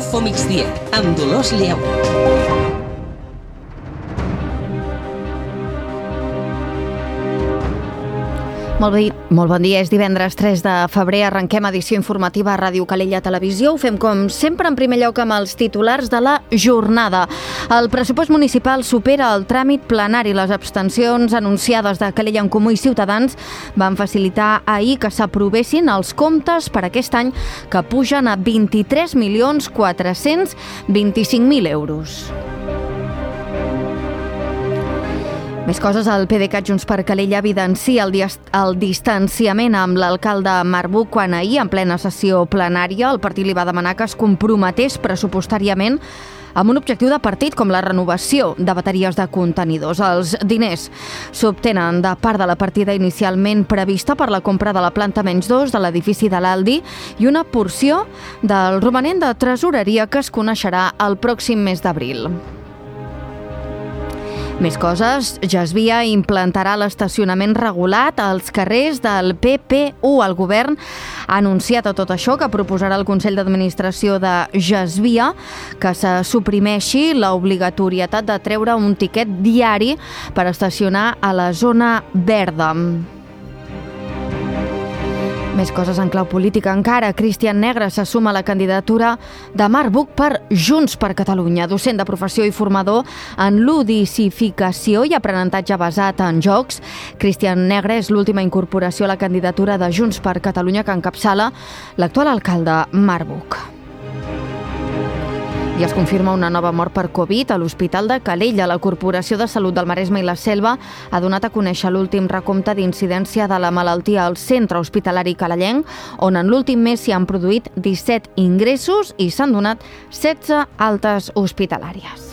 Info Migdia, amb Dolors Lleu. Molt bon dia, és divendres 3 de febrer, arrenquem edició informativa a Ràdio Calella Televisió. Ho fem com sempre en primer lloc amb els titulars de la jornada. El pressupost municipal supera el tràmit plenari. Les abstencions anunciades de Calella en Comú i Ciutadans van facilitar ahir que s'aprovessin els comptes per aquest any, que pugen a 23.425.000 euros. Més coses, el PDeCAT Junts per Calella evidencia el distanciament amb l'alcalde Marc Buch quan ahir, en plena sessió plenària, el partit li va demanar que es comprometés pressupostàriament amb un objectiu de partit com la renovació de bateries de contenidors. Els diners s'obtenen de part de la partida inicialment prevista per la compra de la planta -2 de l'edifici de l'Aldi i una porció del romanent de tresoreria que es coneixerà el pròxim mes d'abril. Més coses, Gesvia implantarà l'estacionament regulat als carrers del PP1. El govern ha anunciat a tot això que proposarà el Consell d'Administració de Gesvia que se suprimeixi l'obligatorietat de treure un tiquet diari per estacionar a la zona verda. Més coses en clau política encara. Cristian Negre se suma a la candidatura de Marc Buch per Junts per Catalunya. Docent de professió i formador en ludicificació i aprenentatge basat en jocs, Cristian Negre és l'última incorporació a la candidatura de Junts per Catalunya que encapçala l'actual alcalde Marc Buch. I es confirma una nova mort per Covid a l'Hospital de Calella. La Corporació de Salut del Maresme i la Selva ha donat a conèixer l'últim recompte d'incidència de la malaltia al centre hospitalari calellenc, on en l'últim mes s'hi han produït 17 ingressos i s'han donat 16 altes hospitalàries.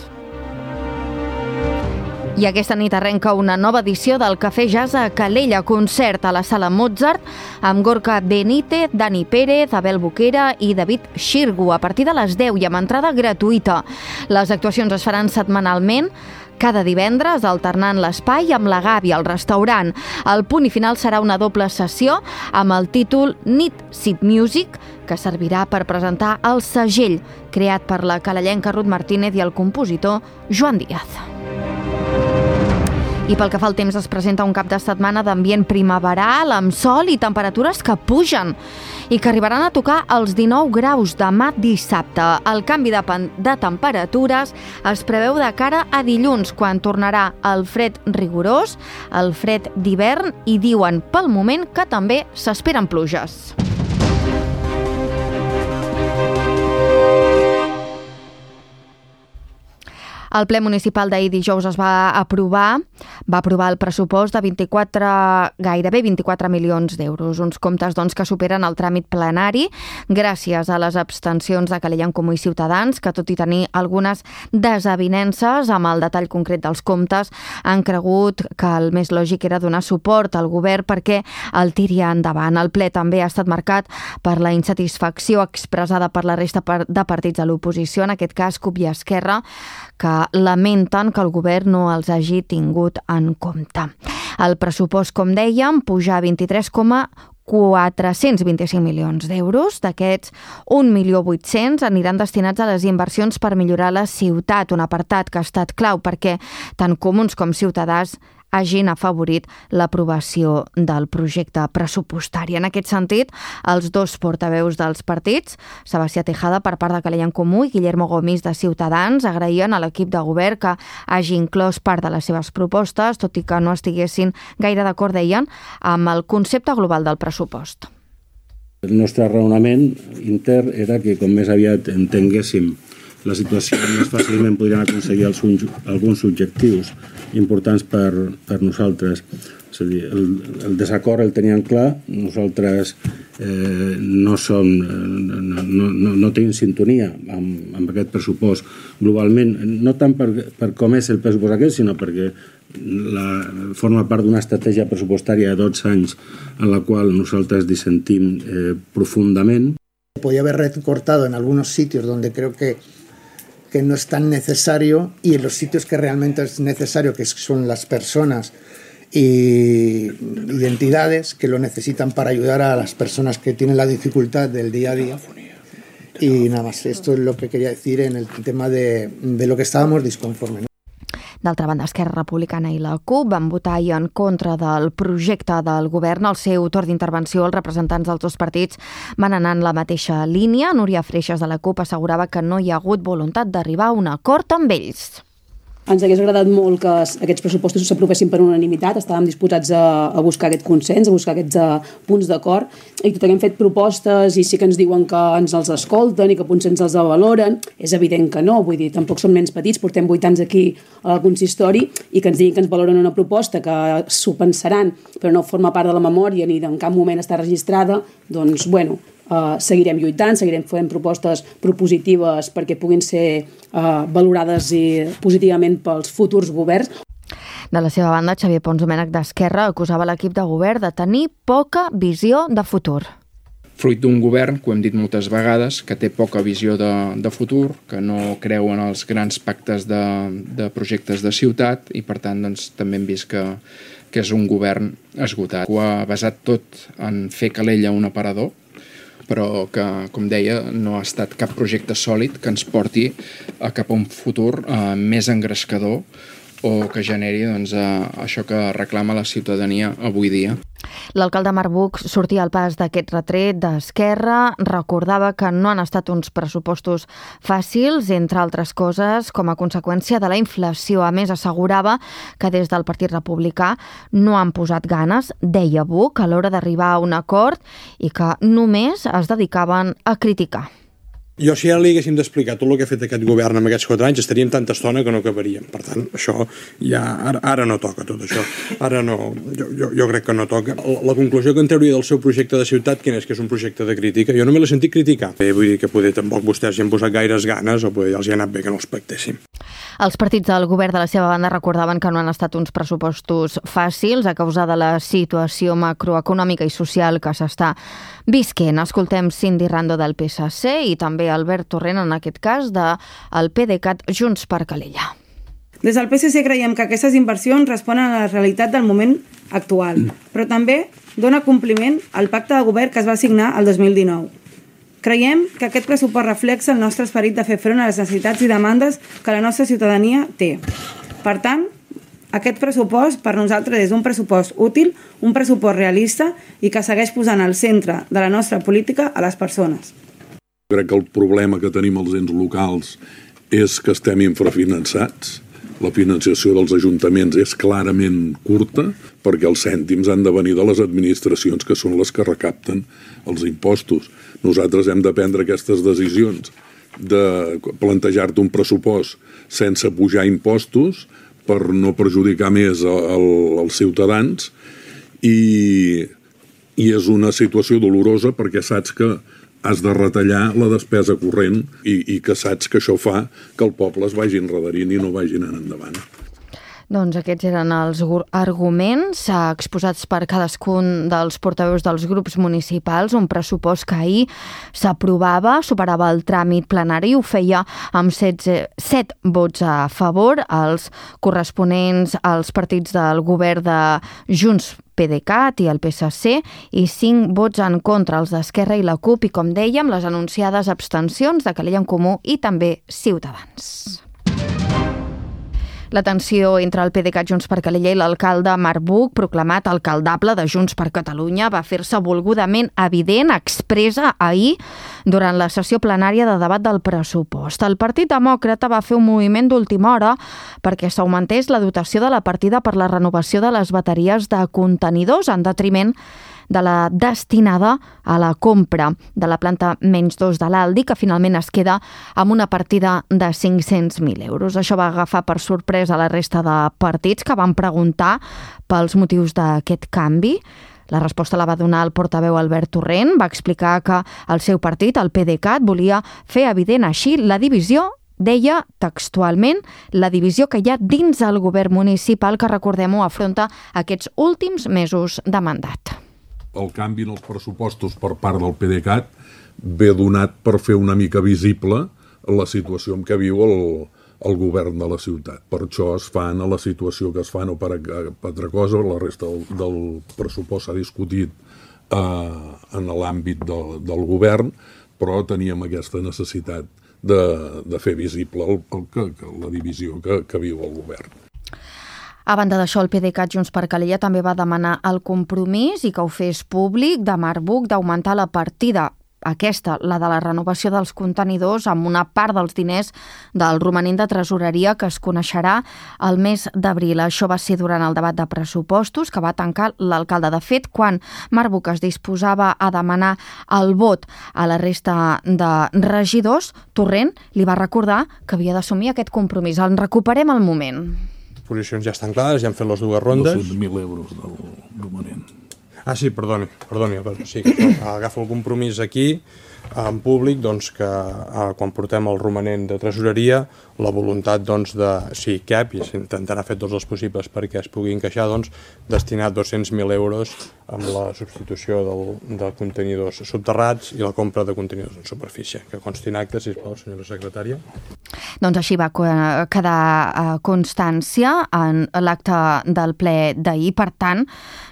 I aquesta nit arrenca una nova edició del Cafè Jazz a Calella, concert a la Sala Mozart amb Gorka Benítez, Dani Pérez, Abel Boquera i David Xirgu a partir de les 10 i amb entrada gratuïta. Les actuacions es faran setmanalment, cada divendres, alternant l'espai amb la Gavi al restaurant. El punt i final serà una doble sessió amb el títol Need Seat Music, que servirà per presentar el segell creat per la calellenca Ruth Martínez i el compositor Joan Díaz. I pel que fa al temps, es presenta un cap de setmana d'ambient primaveral, amb sol i temperatures que pugen i que arribaran a tocar els 19 graus demà dissabte. El canvi de temperatures es preveu de cara a dilluns, quan tornarà el fred rigorós, el fred d'hivern, i diuen pel moment que també s'esperen pluges. El ple municipal d'ahir dijous va aprovar el pressupost de gairebé 24 milions d'euros. Uns comptes que superen el tràmit plenari gràcies a les abstencions de Calella en Comú i Ciutadans, que tot i tenir algunes desavinences amb el detall concret dels comptes, han cregut que el més lògic era donar suport al govern perquè el tiri endavant. El ple també ha estat marcat per la insatisfacció expressada per la resta de partits de l'oposició, en aquest cas CUP i Esquerra, que lamenten que el govern no els hagi tingut en compte. El pressupost, com dèiem, puja a 23,425 milions d'euros. D'aquests, 1.800.000 aniran destinats a les inversions per millorar la ciutat, un apartat que ha estat clau perquè tant Comuns com Ciutadans hagin afavorit l'aprovació del projecte pressupostari. En aquest sentit, els dos portaveus dels partits, Sebastià Tejada per part de Calella en Comú i Guillermo Gomis de Ciutadans, agraïen a l'equip de govern que hagi inclòs part de les seves propostes, tot i que no estiguessin gaire d'acord, deien, amb el concepte global del pressupost. El nostre raonament intern era que com més aviat entenguéssim la situació, més fàcilment podrien aconseguir alguns objectius importants per nosaltres. És a dir, el desacord el teníem clar, nosaltres no tenim sintonia amb aquest pressupost globalment, no tant per com és el pressupost aquest, sinó perquè forma part d'una estratègia pressupostària de 12 anys en la qual nosaltres dissentim profundament. Podía haber recortado en algunos sitios donde creo que no es tan necesario, y en los sitios que realmente es necesario, que son las personas y entidades que lo necesitan para ayudar a las personas que tienen la dificultad del día a día. Y nada más, esto es lo que quería decir en el tema de lo que estábamos disconformes, ¿no? D'altra banda, Esquerra Republicana i la CUP van votar ahir en contra del projecte del govern. Al seu torn d'intervenció, els representants dels dos partits van anar en la mateixa línia. Núria Freixas, de la CUP, assegurava que no hi ha hagut voluntat d'arribar a un acord amb ells. Ens hagués agradat molt que aquests pressupostos s'aprovessin per unanimitat, estàvem disposats a buscar aquest consens, a buscar aquests punts d'acord, i tot hem fet propostes i sí que ens diuen que ens els escolten i que potser ens els valoren. És evident que no, vull dir, tampoc som nens petits, portem 8 anys aquí al consistori i que ens diguin que ens valoren una proposta, que s'ho pensaran, però no forma part de la memòria ni en cap moment està registrada, doncs, bueno, seguirem lluitant, seguirem fent propostes propositives perquè puguin ser valorades positivament pels futurs governs. De la seva banda, Xavier Pons Domènech d'Esquerra acusava l'equip de govern de tenir poca visió de futur. Fruit d'un govern, que ho hem dit moltes vegades, que té poca visió de futur, que no creu en els grans pactes de projectes de ciutat i, per tant, doncs, també hem vist que és un govern esgotat. Ho ha basat tot en fer Calella un aparador, però que, com deia, no ha estat cap projecte sòlid que ens porti cap a un futur més engrescador o que generi això que reclama la ciutadania avui dia. L'alcalde Marc Buch sortia al pas d'aquest retret d'Esquerra, recordava que no han estat uns pressupostos fàcils, entre altres coses, com a conseqüència de la inflació. A més, assegurava que des del Partit Republicà no han posat ganes, deia Buch, a l'hora d'arribar a un acord i que només es dedicaven a criticar. Jo, si ara li haguéssim d'explicar tot el que ha fet aquest govern en aquests 4 anys, estaríem tanta estona que no acabaríem. Per tant, això ja ara no toca, tot això. Ara no, jo crec que no toca. La conclusió que en trauria del seu projecte de ciutat, quin és? Que és un projecte de crítica. Jo no me l'he sentit criticar. Vull dir que poder tampoc vostès hi han posat gaires ganes o poder ja els hi ha anat bé que no els pactéssim. Els partits del govern de la seva banda recordaven que no han estat uns pressupostos fàcils a causa de la situació macroeconòmica i social que s'està visquent. Escoltem Cindy Rando del PSC i també Albert Torrent, en aquest cas, del PDeCAT Junts per Calella. Des del PSC creiem que aquestes inversions responen a la realitat del moment actual, però també dona compliment al pacte de govern que es va signar el 2019. Creiem que aquest pressupost reflexa el nostre esperit de fer front a les necessitats i demandes que la nostra ciutadania té. Per tant, aquest pressupost per nosaltres és un pressupost útil, un pressupost realista i que segueix posant al centre de la nostra política a les persones. Crec que el problema que tenim als ens locals és que estem infrafinançats. La financiació dels ajuntaments és clarament curta perquè els cèntims han de venir de les administracions que són les que recapten els impostos. Nosaltres hem de prendre aquestes decisions de plantejar-te un pressupost sense pujar impostos per no perjudicar més els ciutadans i és una situació dolorosa perquè saps que has de retallar la despesa corrent i que saps que això fa que el poble es vagi enredarint i no vagi anant endavant. Doncs aquests eren els arguments exposats per cadascun dels portaveus dels grups municipals, un pressupost que ahir s'aprovava, superava el tràmit plenari i ho feia amb 7 vots a favor, els corresponents als partits del govern de Junts PDeCAT i el PSC i 5 vots en contra, els d'Esquerra i la CUP i, com dèiem, les anunciades abstencions de Calella en Comú i també Ciutadans. La tensió entre el PDeCAT Junts per Calella i l'alcalde Marc Buch, proclamat alcaldable de Junts per Catalunya, va fer-se volgudament evident, expressa ahir durant la sessió plenària de debat del pressupost. El Partit Demòcrata va fer un moviment d'última hora perquè s'augmentés la dotació de la partida per la renovació de les bateries de contenidors en detriment de la destinada a la compra de la planta -2 de l'Aldi, que finalment es queda amb una partida de 500.000 euros. Això va agafar per sorpresa la resta de partits que van preguntar pels motius d'aquest canvi. La resposta la va donar el portaveu Albert Torrent. Va explicar que el seu partit, el PDeCAT, volia fer evident així la divisió, deia textualment, la divisió que hi ha dins el govern municipal que, recordem-ho, afronta aquests últims mesos de mandat. El canvi en els pressupostos per part del PDeCAT ve donat per fer una mica visible la situació en què viu el govern de la ciutat. Per això es fan a la situació que es fan o per altra cosa. La resta del pressupost s'ha discutit en l'àmbit del govern, però teníem aquesta necessitat de fer visible la divisió que viu el govern. A banda d'això, el PDeCAT Junts per Calella també va demanar el compromís i que ho fes públic de Marc Buch d'augmentar la partida aquesta, la de la renovació dels contenidors, amb una part dels diners del romanent de tresoreria que es coneixerà el mes d'abril. Això va ser durant el debat de pressupostos que va tancar l'alcalde. De fet, quan Marc Buch es disposava a demanar el vot a la resta de regidors, Torrent li va recordar que havia d'assumir aquest compromís. En recuperem el moment. Les posicions ja estan clares, ja han fet les dues rondes. 200.000 euros del romanent. Ah, sí, perdoni, sí, agafo el compromís aquí, en públic, doncs, que quan portem el romanent de tresoreria, la voluntat, doncs, de, si cap, i s'intentarà fer tots els possibles perquè es pugui encaixar, doncs, destinar 200.000 euros amb la substitució de contenidors subterrats i la compra de contenidors en superfície. Que consti en acte, sisplau, senyora secretària. Doncs així va quedar constància en l'acte del ple d'ahir. Per tant,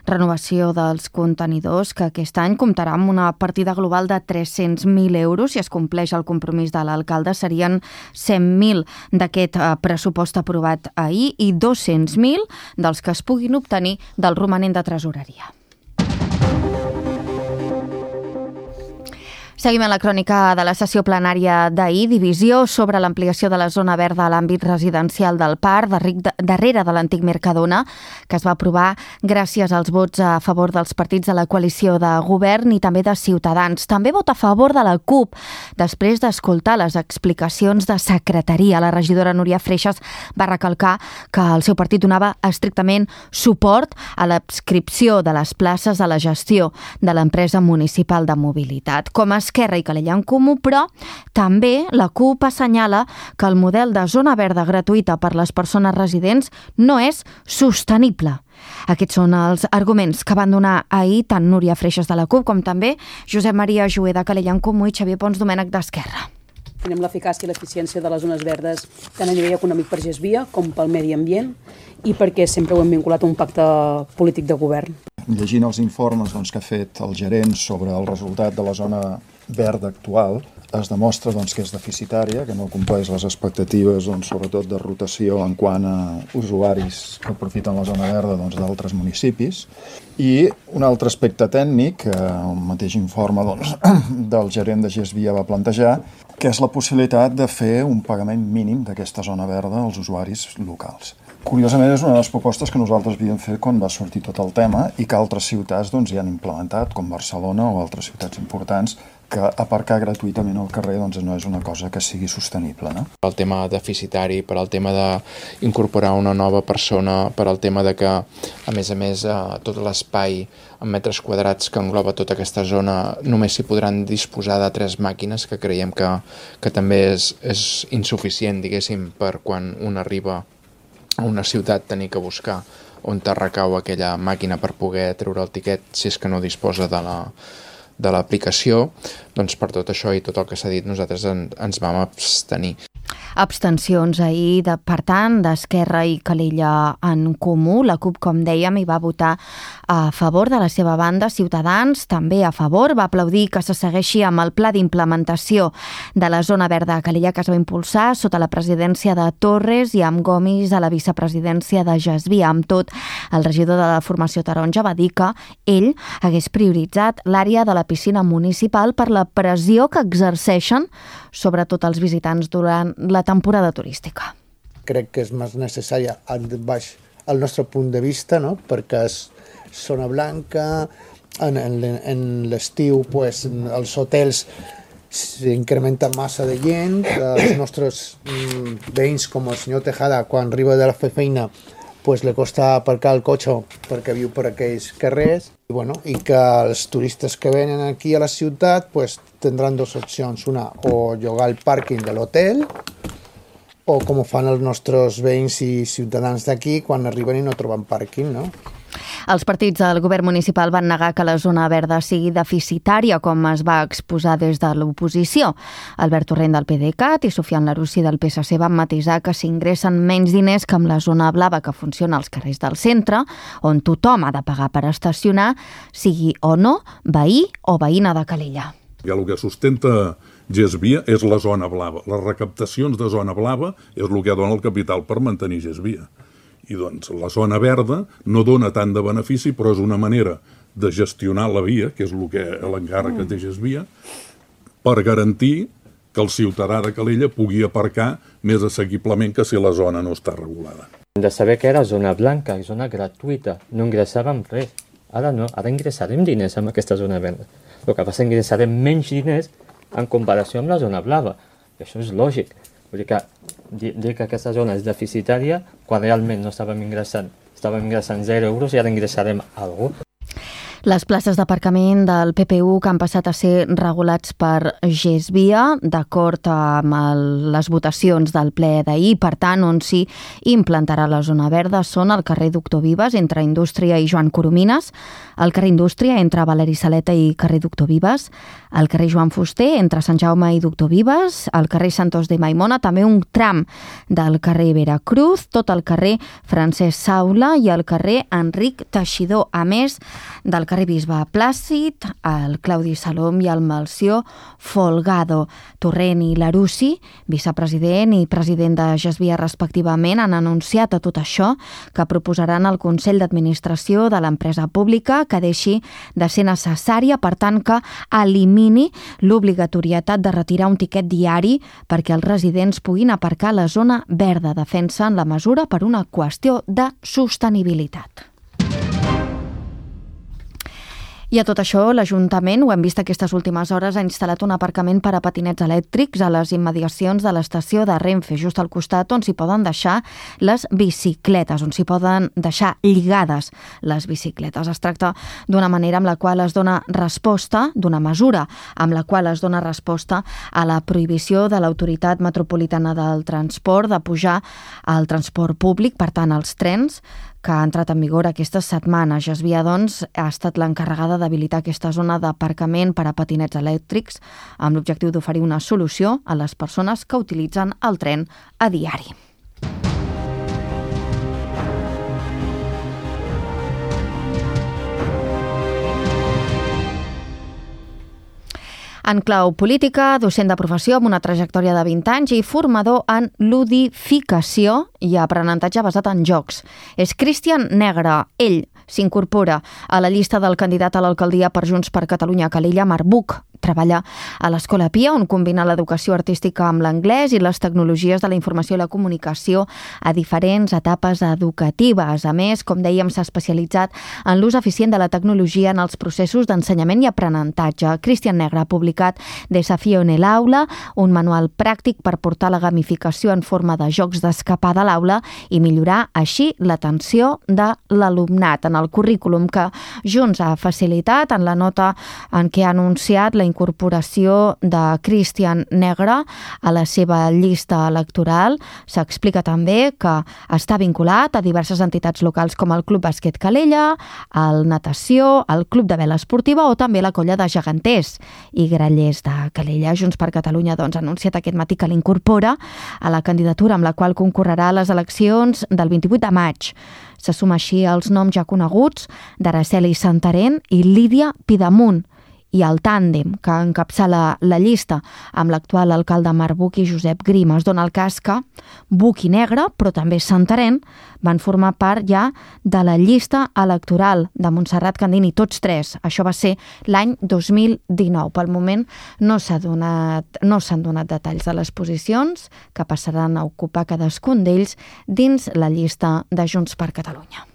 renovació dels contenidors que aquest any comptarà amb una partida global de 300.000 euros. Si es compleix el compromís de l'alcalde, serien 100.000 d'aquest pressupost aprovat ahir i 200.000 dels que es puguin obtenir del romanent de tresoreria. Seguim en la crònica de la sessió plenària d'ahir. Divisió sobre l'ampliació de la zona verda a l'àmbit residencial del parc, darrere de l'antic Mercadona, que es va aprovar gràcies als vots a favor dels partits de la coalició de govern i també de Ciutadans. També vot a favor de la CUP, després d'escoltar les explicacions de secretaria. La regidora Núria Freixas va recalcar que el seu partit donava estrictament suport a l'adscripció de les places a la gestió de l'empresa municipal de mobilitat. Com a Esquerra i Calella en Comú, però també la CUP assenyala que el model de zona verda gratuïta per les persones residents no és sostenible. Aquests són els arguments que van donar ahir tant Núria Freixas de la CUP com també Josep Maria Jover de Calella en Comú i Xavier Pons Domènech d'Esquerra. Tenim l'eficàcia i l'eficiència de les zones verdes tant a nivell econòmic per GESVIA com pel medi ambient i perquè sempre ho hem vinculat a un pacte polític de govern. Llegint els informes que ha fet el gerent sobre el resultat de la zona verda actual, es demostra que és deficitària, que no compleix les expectatives, sobretot de rotació en quant a usuaris que aprofiten la zona verda d'altres municipis. I un altre aspecte tècnic, que el mateix informe del gerent de GESVIA va plantejar, que és la possibilitat de fer un pagament mínim d'aquesta zona verda als usuaris locals. Curiosament, és una de les propostes que nosaltres havíem fet quan va sortir tot el tema i que altres ciutats hi han implementat, com Barcelona o altres ciutats importants, que aparcar gratuïtament al carrer no és una cosa que sigui sostenible. No? El tema deficitari, per al tema d'incorporar una nova persona, per al tema de que, a més, tot l'espai en metres quadrats que engloba tota aquesta zona només s'hi podran disposar de 3 màquines, que creiem que també és insuficient, diguéssim, per quan un arriba a una ciutat tenir que buscar on te recau aquella màquina per poder treure el tiquet si és que no disposa de l'aplicació. Doncs per tot això i tot el que s'ha dit nosaltres ens vam abstenir. Abstencions ahir, per tant, d'Esquerra i Calella en Comú. La CUP, com dèiem, hi va votar a favor. De la seva banda, Ciutadans també a favor. Va aplaudir que se segueixi amb el pla d'implementació de la zona verda a Calella que es va impulsar sota la presidència de Torres i amb Gomis a la vicepresidència de GESVIA. Amb tot, el regidor de la formació taronja va dir que ell hagués prioritzat l'àrea de la piscina municipal per la pressió que exerceixen sobretot els visitants durant la temporada turística. Crec que és més necessària baix el nostre punt de vista, no? Perquè és zona blanca, en l'estiu els hotels s'incrementa massa de gent, els nostres veïns com el senyor Tejada quan arriba de la feina le costa aparcar el cotxe perquè viu per aquells carrers i que els turistes que venen aquí a la ciutat tindran 2 opcions, una o llogar el pàrquing de l'hotel o com ho fan els nostres veïns i ciutadans d'aquí quan arriben i no troben pàrquing, no? Els partits del govern municipal van negar que la zona verda sigui deficitària, com es va exposar des de l'oposició. Albert Torrent del PDeCAT i Sofian Larussi del PSC van matisar que s'ingressen menys diners que amb la zona blava que funciona als carrers del centre, on tothom ha de pagar per estacionar, sigui o no veí o veïna de Calella. I el que sustenta GESVIA és la zona blava. Les recaptacions de zona blava és el que dona el capital per mantenir GESVIA. I doncs la zona verda no dona tant de benefici, però és una manera de gestionar la via, que és l'encàrrec que té GESVIA, per garantir que el ciutadà de Calella pugui aparcar més assequiblement que si la zona no està regulada. Hem de saber que era zona blanca i zona gratuïta, no ingressàvem res. Ara no, ara ingressarem diners en aquesta zona verda. El que passa és que ingressarem menys diners en comparació amb la zona blava. I això és lògic. Vull dir que dir que aquesta zona és deficitària quan realment no estàvem ingressant 0 euros i ara ingressarem alguna cosa. Les places d'aparcament del PPU que han passat a ser regulats per GESVIA, d'acord amb les votacions del ple d'ahir, per tant, on s'hi implantarà la zona verda, són el carrer Doctor Vives, entre Indústria i Joan Coromines, el carrer Indústria, entre Valeri Saleta i carrer Doctor Vives, el carrer Joan Fuster, entre Sant Jaume i Doctor Vives, el carrer Santos de Maimona, també un tram del carrer Veracruz, tot el carrer Francesc Saula i el carrer Enric Teixidor, a més del carrer Bisbe Plàcid, el Claudi Salom i el Melcior Folgado. Torrent i Larussi, vicepresident i president de GESVIA respectivament, han anunciat a tot això que proposaran al Consell d'Administració de l'empresa pública que deixi de ser necessària, per tant que elimini l'obligatorietat de retirar un tiquet diari perquè els residents puguin aparcar a la zona verda. Defensen la mesura per una qüestió de sostenibilitat. I a tot això, l'Ajuntament, ho hem vist aquestes últimes hores, ha instal·lat un aparcament per a patinets elèctrics a les immediacions de l'estació de Renfe, just al costat on s'hi poden deixar les bicicletes, on s'hi poden deixar lligades les bicicletes. Es tracta d'una manera amb la qual es dona resposta, d'una mesura amb la qual es dona resposta a la prohibició de l'Autoritat Metropolitana del Transport de pujar al transport públic, per tant, als trens, que ha entrat en vigor aquesta setmana. GESVIA, doncs, ha estat l'encarregada d'habilitar aquesta zona d'aparcament per a patinets elèctrics amb l'objectiu d'oferir una solució a les persones que utilitzen el tren a diari. En clau política, docent de professió amb una trajectòria de 20 anys i formador en ludificació i aprenentatge basat en jocs. És Cristian Negre. Ell s'incorpora a la llista del candidat a l'alcaldia per Junts per Catalunya a Calella, Marc Buch. Treballa a l'Escola Pia, on combina l'educació artística amb l'anglès i les tecnologies de la informació i la comunicació a diferents etapes educatives. A més, com dèiem, s'ha especialitzat en l'ús eficient de la tecnologia en els processos d'ensenyament i aprenentatge. Cristian Negre ha publicat Desafío en el aula, un manual pràctic per portar la gamificació en forma de jocs d'escapar de l'aula i millorar així l'atenció de l'alumnat. En el currículum que Junts ha facilitat, en la nota en què ha anunciat la incorporació de Cristian Negre a la seva llista electoral, s'explica també que està vinculat a diverses entitats locals com el Club Bàsquet Calella, el Natació, el Club de Vela Esportiva o també la colla de geganters i grallers de Calella. Junts per Catalunya doncs, ha anunciat aquest matí que l'incorpora a la candidatura amb la qual concorrerà a les eleccions del 28 de maig. Se suma així els noms ja coneguts d'Araceli Santarén i Lídia Pidamunt, i el tàndem que encapçala la llista amb l'actual alcalde Marc Buch i Josep Grima. Es dona el cas que Buch i Negre, però també Santarén, van formar part ja de la llista electoral de Montserrat Candini, tots tres. Això va ser l'any 2019. Pel moment no s'han donat detalls de les posicions que passaran a ocupar cadascun d'ells dins la llista de Junts per Catalunya.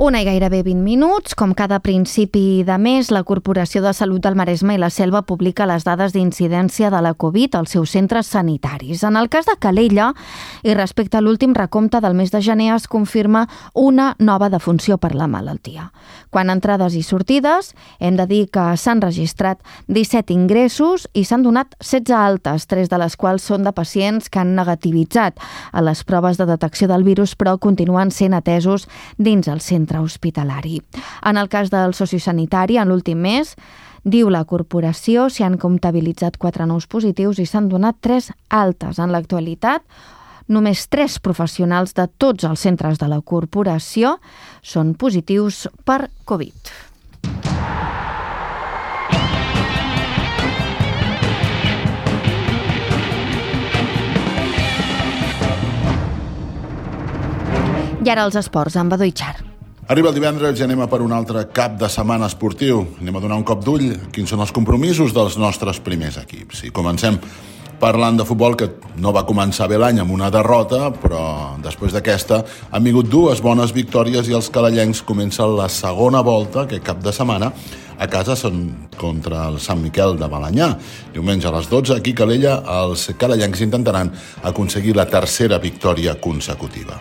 Una i gairebé 20 minuts. Com cada principi de mes, la Corporació de Salut del Maresme i la Selva publica les dades d'incidència de la Covid als seus centres sanitaris. En el cas de Calella, i respecte a l'últim recompte del mes de gener, es confirma una nova defunció per la malaltia. Quant a entrades i sortides, hem de dir que s'han registrat 17 ingressos i s'han donat 16 altes, 3 de les quals són de pacients que han negativitzat a les proves de detecció del virus, però continuen sent atesos dins el centre hospitalari. En el cas del sociosanitari, en l'últim mes, diu la corporació, s'hi han comptabilitzat 4 nous positius i s'han donat 3 altes. En l'actualitat, Només 3 professionals de tots els centres de la corporació són positius per Covid. I ara els esports, amb Badó Itxar. Arriba el divendres i anem a per un altre cap de setmana esportiu. Anem a donar un cop d'ull quins són els compromisos dels nostres primers equips. I comencem parlant de futbol, que no va començar bé l'any amb una derrota, però després d'aquesta han vingut 2 bones victòries i els calellencs comencen la segona volta aquest cap de setmana a casa contra el Sant Miquel de Balenyà. Diumenge a les 12, aquí a Calella, els calellencs intentaran aconseguir la 3a victòria consecutiva.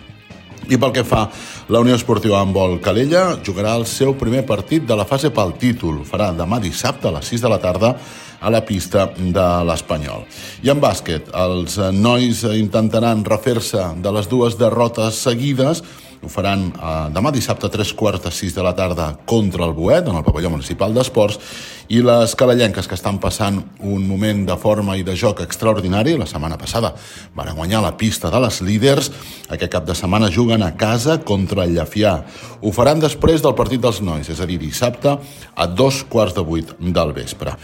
I pel que fa la Unió Esportiva Handbol Calella, jugarà el seu primer partit de la fase pel títol. Farà demà dissabte a les 6 de la tarda a la pista de l'Espanyol. I en bàsquet, els nois intentaran refer-se de les 2 derrotes seguides. Ho faran demà dissabte a 3:45 de la tarda contra el Boet, en el pavelló municipal d'esports, i les calellenques, que estan passant un moment de forma i de joc extraordinari, la setmana passada van guanyar la pista de les líders, aquest cap de setmana juguen a casa contra el Llefià. Ho faran després del partit dels nois, és a dir, dissabte a 7:15 del vespre.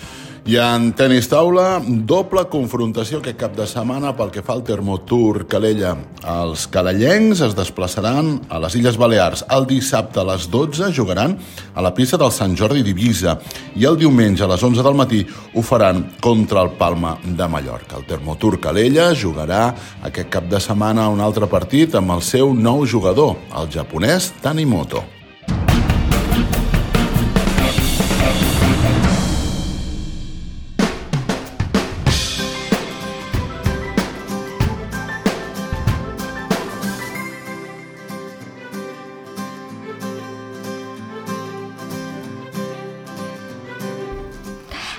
I en tenis taula, doble confrontació aquest cap de setmana pel que fa al Termotour Calella. Els calellencs es desplaçaran a les Illes Balears. El dissabte a les 12 jugaran a la pista del Sant Jordi d'Eivissa i el diumenge a les 11 del matí ho faran contra el Palma de Mallorca. El Termotour Calella jugarà aquest cap de setmana un altre partit amb el seu nou jugador, el japonès Tanimoto.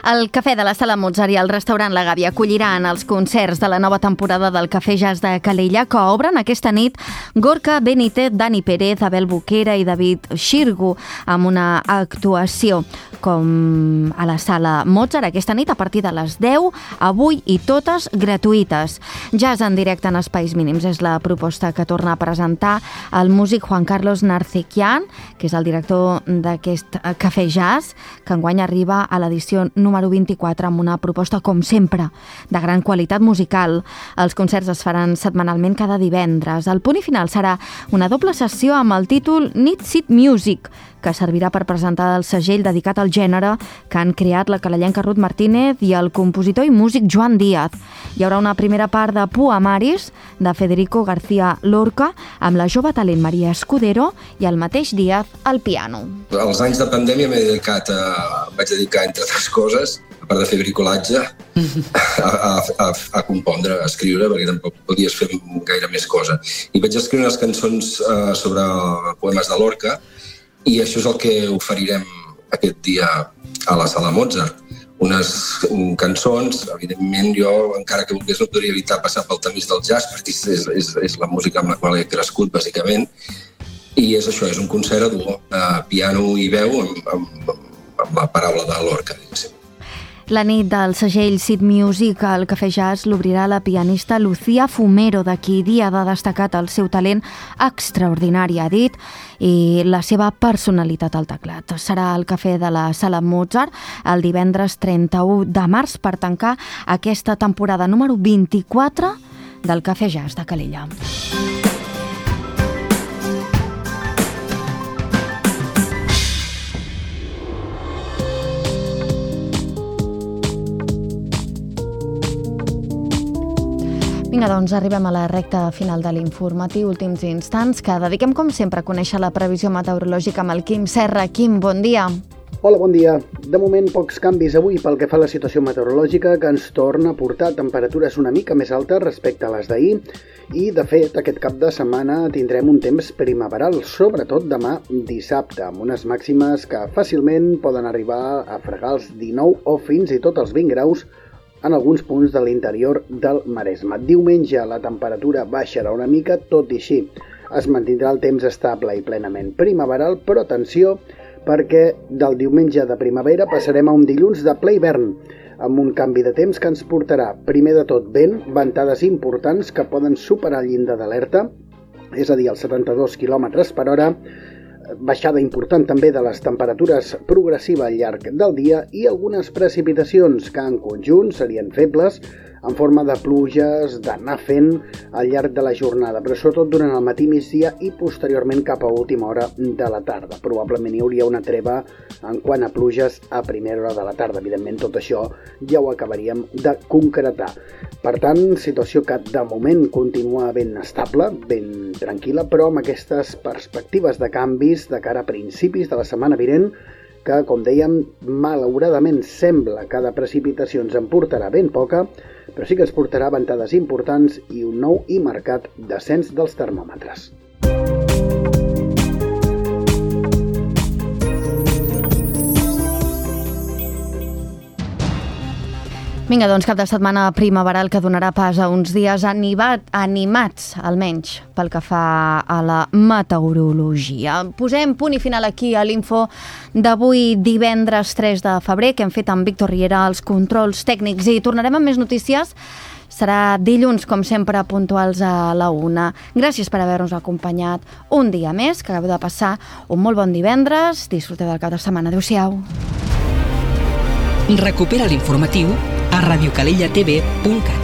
El Cafè de la Sala Mozart i el restaurant La Gàbia acolliran els concerts de la nova temporada del Cafè Jazz de Calella, que obren aquesta nit Gorka Benítez, Dani Pérez, Abel Boquera i David Xirgu, amb una actuació com a la Sala Mozart aquesta nit a partir de les 10, avui, i totes gratuïtes. Jazz en directe en espais mínims és la proposta que torna a presentar el músic Juan Carlos Narcequian, que és el director d'aquest Cafè Jazz, que enguany arriba a l'edició número 24 amb una proposta, com sempre, de gran qualitat musical. Els concerts es faran setmanalment cada divendres. El punt i final serà una doble sessió amb el títol Need Seat Music, que servirà per presentar el segell dedicat al gènere que han creat la calellenca Ruth Martínez i el compositor i músic Joan Díaz. Hi haurà una primera part de Poemaris de Federico García Lorca amb la jove talent Maria Escudero i el mateix Díaz al piano. Els anys de pandèmia vaig dedicar, entre altres coses, a part de fer bricolatge, a compondre, a escriure, perquè tampoc podies fer gaire més cosa. I vaig escriure unes cançons sobre poemes de Lorca, i això és el que oferirem aquest dia a la Sala Mozart. Unes cançons, evidentment jo, encara que volgués, no podria evitar passar pel tamís del jazz, perquè és la música amb la qual he crescut, bàsicament. I és això, és un concert a duo, piano i veu amb la paraula de Lorca, diguéssim. La nit del segell Seat Music al Cafè Jazz l'obrirà la pianista Lucía Fumero, de qui Dia ha destacat el seu talent extraordinari, ha dit, i la seva personalitat al teclat. Serà al Cafè de la Sala Mozart el divendres 31 de març per tancar aquesta temporada número 24 del Cafè Jazz de Calella. Vinga, doncs arribem a la recta final de l'informatiu, últims instants, que dediquem, com sempre, a conèixer la previsió meteorològica amb el Quim Serra. Quim, bon dia. Hola, bon dia. De moment, pocs canvis avui pel que fa a la situació meteorològica, que ens torna a portar temperatures una mica més altes respecte a les d'ahir, i, de fet, aquest cap de setmana tindrem un temps primaveral, sobretot demà dissabte, amb unes màximes que fàcilment poden arribar a fregar els 19 o fins i tot els 20 graus en alguns punts de l'interior del Maresme. Diumenge la temperatura baixarà una mica, tot i així es mantindrà el temps estable i plenament primaveral, però atenció, perquè del diumenge de primavera passarem a un dilluns de ple hivern, amb un canvi de temps que ens portarà, primer de tot, vent, ventades importants que poden superar el llindar d'alerta, és a dir, els 72 km per hora, baixada important també de les temperatures progressiva al llarg del dia i algunes precipitacions que en conjunt serien febles en forma de pluges, d'anar fent al llarg de la jornada, però sobretot durant el matí, migdia i posteriorment cap a última hora de la tarda. Probablement hi hauria una treva en quant a pluges a primera hora de la tarda. Evidentment, tot això ja ho acabaríem de concretar. Per tant, situació que de moment continua ben estable, ben tranquil·la, però amb aquestes perspectives de canvis de cara a principis de la setmana vinent, que, com dèiem, malauradament sembla que de precipitacions en portarà ben poca, però sí que ens portarà ventades importants i un nou i marcat descens dels termòmetres. Vinga, doncs cap de setmana primaveral que donarà pas a uns dies animats, almenys, pel que fa a la meteorologia. Posem punt i final aquí a l'info d'avui divendres 3 de febrer, que hem fet amb Víctor Riera als controls tècnics, i tornarem amb més notícies. Serà dilluns, com sempre, puntuals a la 1. Gràcies per haver-nos acompanyat un dia més, que acabeu de passar un molt bon divendres. Disfruteu del cap de setmana. Adéu-siau. Recupera l'informatiu a radiocalellatv.cat.